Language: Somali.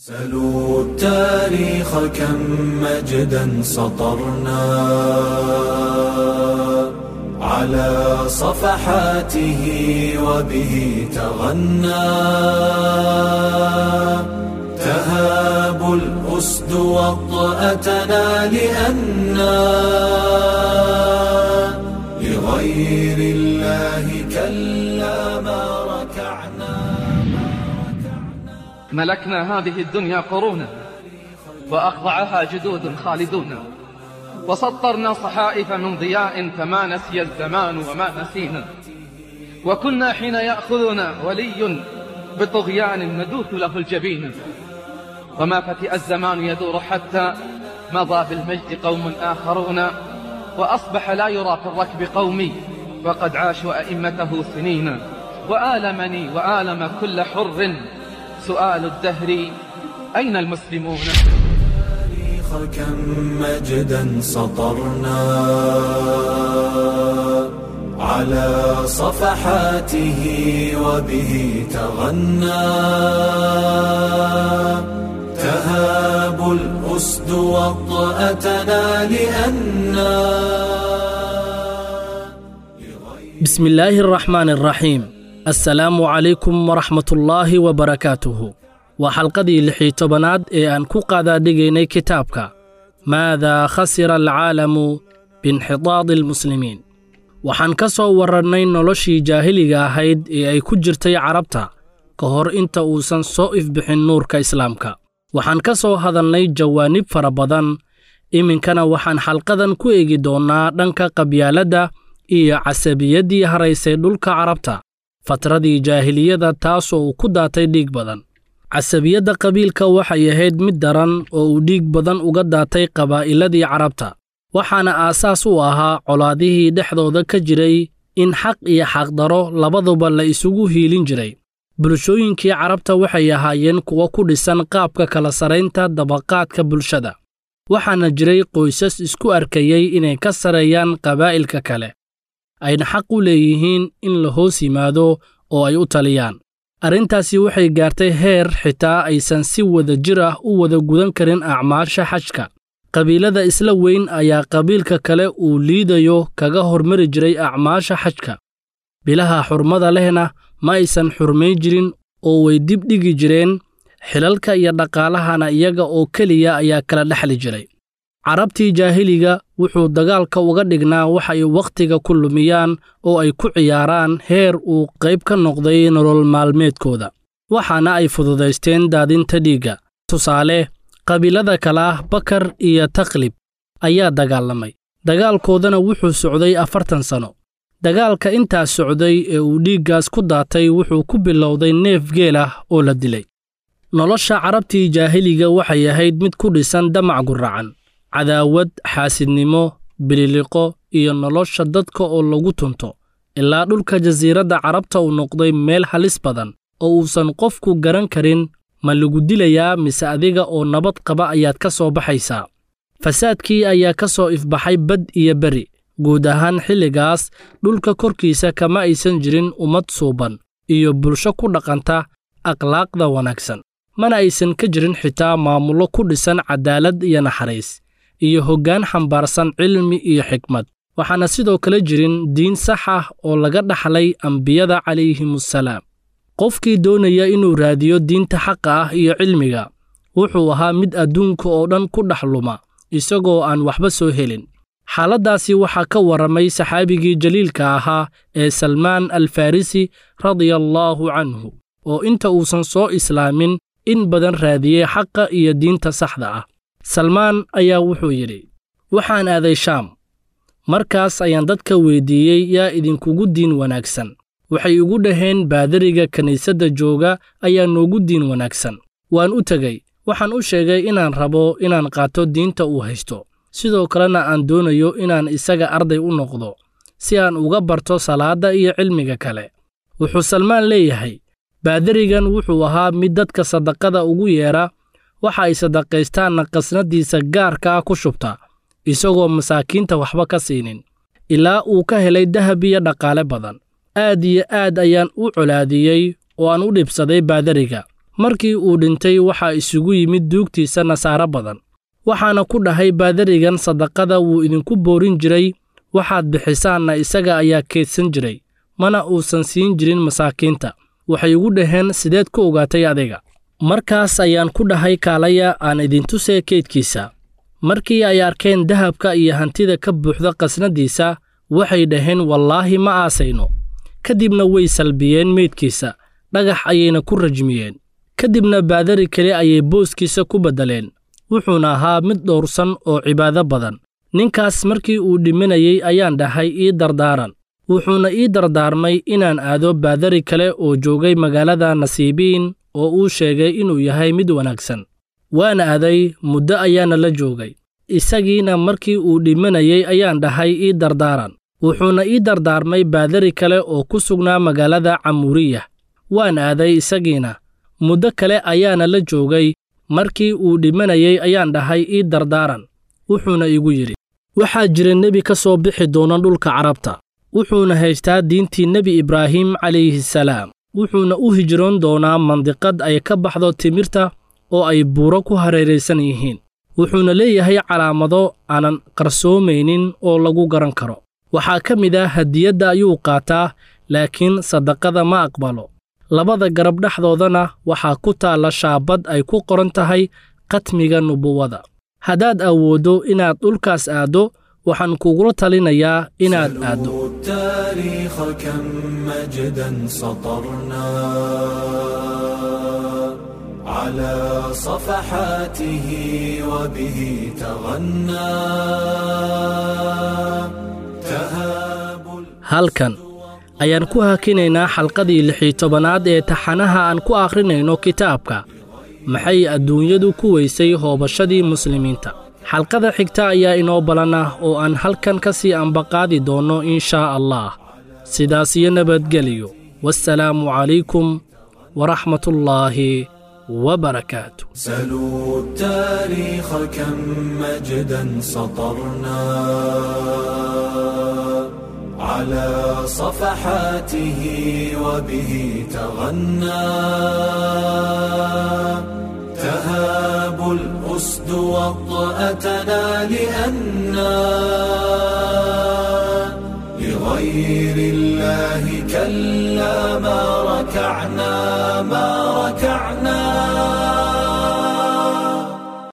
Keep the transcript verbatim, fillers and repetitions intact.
سلوا التاريخ كم مجدا سطرنا على صفحاته وبه تغنى تهاب الأسد وطأتنا لأنا لغير الله كلا ما ركعنا. ملكنا هذه الدنيا قرونا وأخضعها جدود خالدون، وسطرنا صحائف من ضياء فما نسي الزمان وما نسينا، وكنا حين يأخذنا ولي بطغيان ندوث له الجبين، وما فتئ الزمان يدور حتى مضى بالمجد قوم آخرون، وأصبح لا يرى في الركب قومي وقد عاشوا أئمته سنين. وآلمني وآلم كل حر سؤال الدهر أين المسلمون؟ كم مجدا سطرنا على صفحاته وبه تغنى تهاب الأسد وطأتنا لأنا. بسم الله الرحمن الرحيم. السلام عليكم ورحمة الله وبركاته. وحلقدii lix iyo tobanaad ee aan ku qaadaadhigaynay kitaabka Maadaa khasira alcaalamu biinxitaadi almuslimiin. Waxaan ka soo warrannay noloshii jaahiliga ahayd ee ay ku jirtay carabta ka hor inta uusan soo ifbixin nuurka islaamka. Waxaan ka soo hadalnay jawaanib fara badan. Iminkana waxaan xalqadan ku eegi doonnaa dhanka qabyaaladda iyo casabiyaddii haraysay dhulka carabta fatradii jaahiliyada, taasoo uu ku daatay dhiig badan. Casabiyadda qabiilka waxay ahayd mid daran oo uu dhiig badan uga daatay qabaa'iladii carabta, waxaana aasaas u ahaa colaadihii dhexdooda ka jiray in xaq iyo xaqdaro labaduba la isugu hiilin jiray. Bulshooyinkii carabta waxay ahaayeen kuwo ku dhisan qaabka kala saraynta dabaqaadka bulshada, waxaana jiray qoysas isku arkayay inay ka sareeyaan qabaa'ilka kale, ayna xaq u leeyihiin in la hoos yimaado oo ay u taliyaan. Arrintaasi waxay gaartay heer xitaa aysan si wada jir ah u wada gudan karin acmaasha xajka. Qabiilada isla weyn ayaa qabiilka kale uu liidayo kaga hormari jiray acmaasha xajka. Bilaha xurmada lehna ma aysan xurmayn jirin oo way dib dhigi jireen, xilalka iyo dhaqaalahana iyaga oo keliya ayaa kala dhexli jiray. Carabtii jaahiliga wuxuu dagaalka uga dhignaa wax ay wakhtiga ku lumiyaan oo ay ku ciyaaraan, heer uu qayb ka noqday nolol maalmeedkooda, waxaana ay fududaysteen daadinta dhiigga. Tusaale, qabiilada kale ah Bakar iyo Taqlib ayaa dagaalamay, dagaalkoodana wuxuu socday afartan sano. Dagaalka intaas socday ee uu dhiiggaas ku daatay wuxuu ku bilowday neef geel ah oo la dilay. Nolosha carabtii jaahiliga waxay ahayd mid ku dhisan damac guracan, cadaawad, xaasidnimo, bililiqo iyo nolosha dadka oo lagu tunto, ilaa dhulka jasiiradda carabta uu noqday meel halis badan oo uusan qofku garan karin ma lagu dilayaa mise adiga oo nabad qaba ayaad ka soo baxaysaa. Fasaadkii ayaa ka soo ifbaxay bad iyo beri. Guud ahaan xilligaas dhulka korkiisa kama aysan jirin ummad suuban iyo bulsho ku dhaqanta akhlaaqda wanaagsan, mana aysan ka jirin xitaa maamullo ku dhisan cadaalad iyo naxariis iyo hoggaan xambaarsan cilmi iyo xikmad. Waxaana sidoo kale jirin diin sax ah oo laga dhaxlay ambiyada calayhimusalaam. Qofkii doonaya inuu raadiyo diinta xaqa ah iyo cilmiga wuxuu ahaa mid adduunka oo dhan ku dhex luma isagoo aan waxba soo helin. Xaaladdaasi waxaa ka warramay saxaabigii jaliilka ahaa ee Salmaan Alfarisi radiyallaahu canhu, oo inta uusan soo islaamin in badan raadiyey xaqa iyo diinta saxda ah. Salmaan ayaa wuxuu yidhi, waxaan aaday Shaam. Markaas ayaan dadka weydiiyey, yaa idinkugu diin wanaagsan? Waxay igu dhaheen, baadariga kiniisadda jooga ayaa noogu diin wanaagsan. Waan u tegey, waxaan u sheegay inaan rabo inaan qaato diinta uu haysto, sidoo kalena aan doonayo inaan isaga arday u noqdo si aan uga barto salaadda iyo cilmiga kale. Wuxuu Salmaan leeyahay, baadarigan wuxuu ahaa mid dadka sadaqada ugu yeera, waxa ay sadaqaystaanna qasnadiisa gaarka ah ku shubta, isagoo masaakiinta waxba ka siinin, ilaa uu ka helay dahab iyo dhaqaale badan. Aad iyo aad ayaan u colaadiyey oo aan u dhibsaday baadariga. Markii uu dhintay waxaa isugu yimid duugtiisa nasaaro badan. Waxaana ku dhahay baadarigan sadaqada wuu idinku boorin jiray, waxaad bixisaanna isaga ayaa keydsan jiray, mana uusan siin jirin masaakiinta. Waxay igu dhaheen sideed ku ogaatay adiga? Markaas ayaan ku dhahay kaalaya aan idintusee keydkiisa. Markii ay arkeen dahabka iyo hantida ka buuxda qasnadiisa, waxay dhaheen wallaahi ma aasayno. Kadibna way salbiyeen meydkiisa, dhagax ayayna ku rajmiyeen. Kadibna baadari kale ayay booskiisa ku beddeleen. Wuxuuna ahaa mid dhowrsan oo cibaado badan. Ninkaas markii uu dhimanayay ayaan dhahay ii dardaaran. Wuxuuna ii dardaarmay inaan aado baadari kale oo joogay magaalada Nasiibiin oo uu sheegay inuu yahay mid wanaagsan. Waan aaday, muddo ayaana la joogay. Isagiina markii uu dhimanayay ayaan dhahay ii dardaaran. Wuxuuna ii dardaarmay baadari kale oo ku sugnaa magaalada Camuuriya. Waan aaday isagiina. Muddo kale ayaana la joogay. Markii uu dhimanayay ayaan dhahay ii dardaaran. Wuxuuna igu yidhi, waxaa jira nebi ka soo bixi doona dhulka Carabta. Wuxuuna haystaa diintii Nebi Ibraahim calayhi salaam. Wuxuuna u hijroon doonaa mandiqad ay ka baxdo timirta oo ay buuro ku hareeraysan yihiin. Wuxuuna leeyahay calaamado aanan qarsoomaynin oo lagu garan karo. Waxaa ka mid ah hadiyadda ayuu qaataa, laakiin sadaqada ma aqbalo. Labada garab dhexdoodana waxaa ku taalla shaabad ay ku qoran tahay khatmiga nubuwada. Haddaad awooddo inaad dhulkaas aaddo, waxaan kugula talinayaa inaad aaddo. سلوا التاريخ كم مجدا سطرنا على صفحاته وبه تغنى تهاب Halkan ayaan ku hakinaynaa xalqadii lix iyo tobanaad ee taxanaha aan ku akhrinayno kitaabka Maxay adduunyadu ku weysay hoobashadii muslimiinta. Xalqada xigta ayaa inoo balan ah oo aan halkan ka sii ambaqaadi doonno inshaa Allah. Sidaas iyo nabadgeliyo. Wassalaamu calaykum waraxmatullaahi wabarakaatu. سلوا التاريخ كم مجدا سطرنا على صفحاته وبه تغنى تهاب الأسد وطأتنا لأنا لغير الله كلا ما ركعنا ما ركعنا.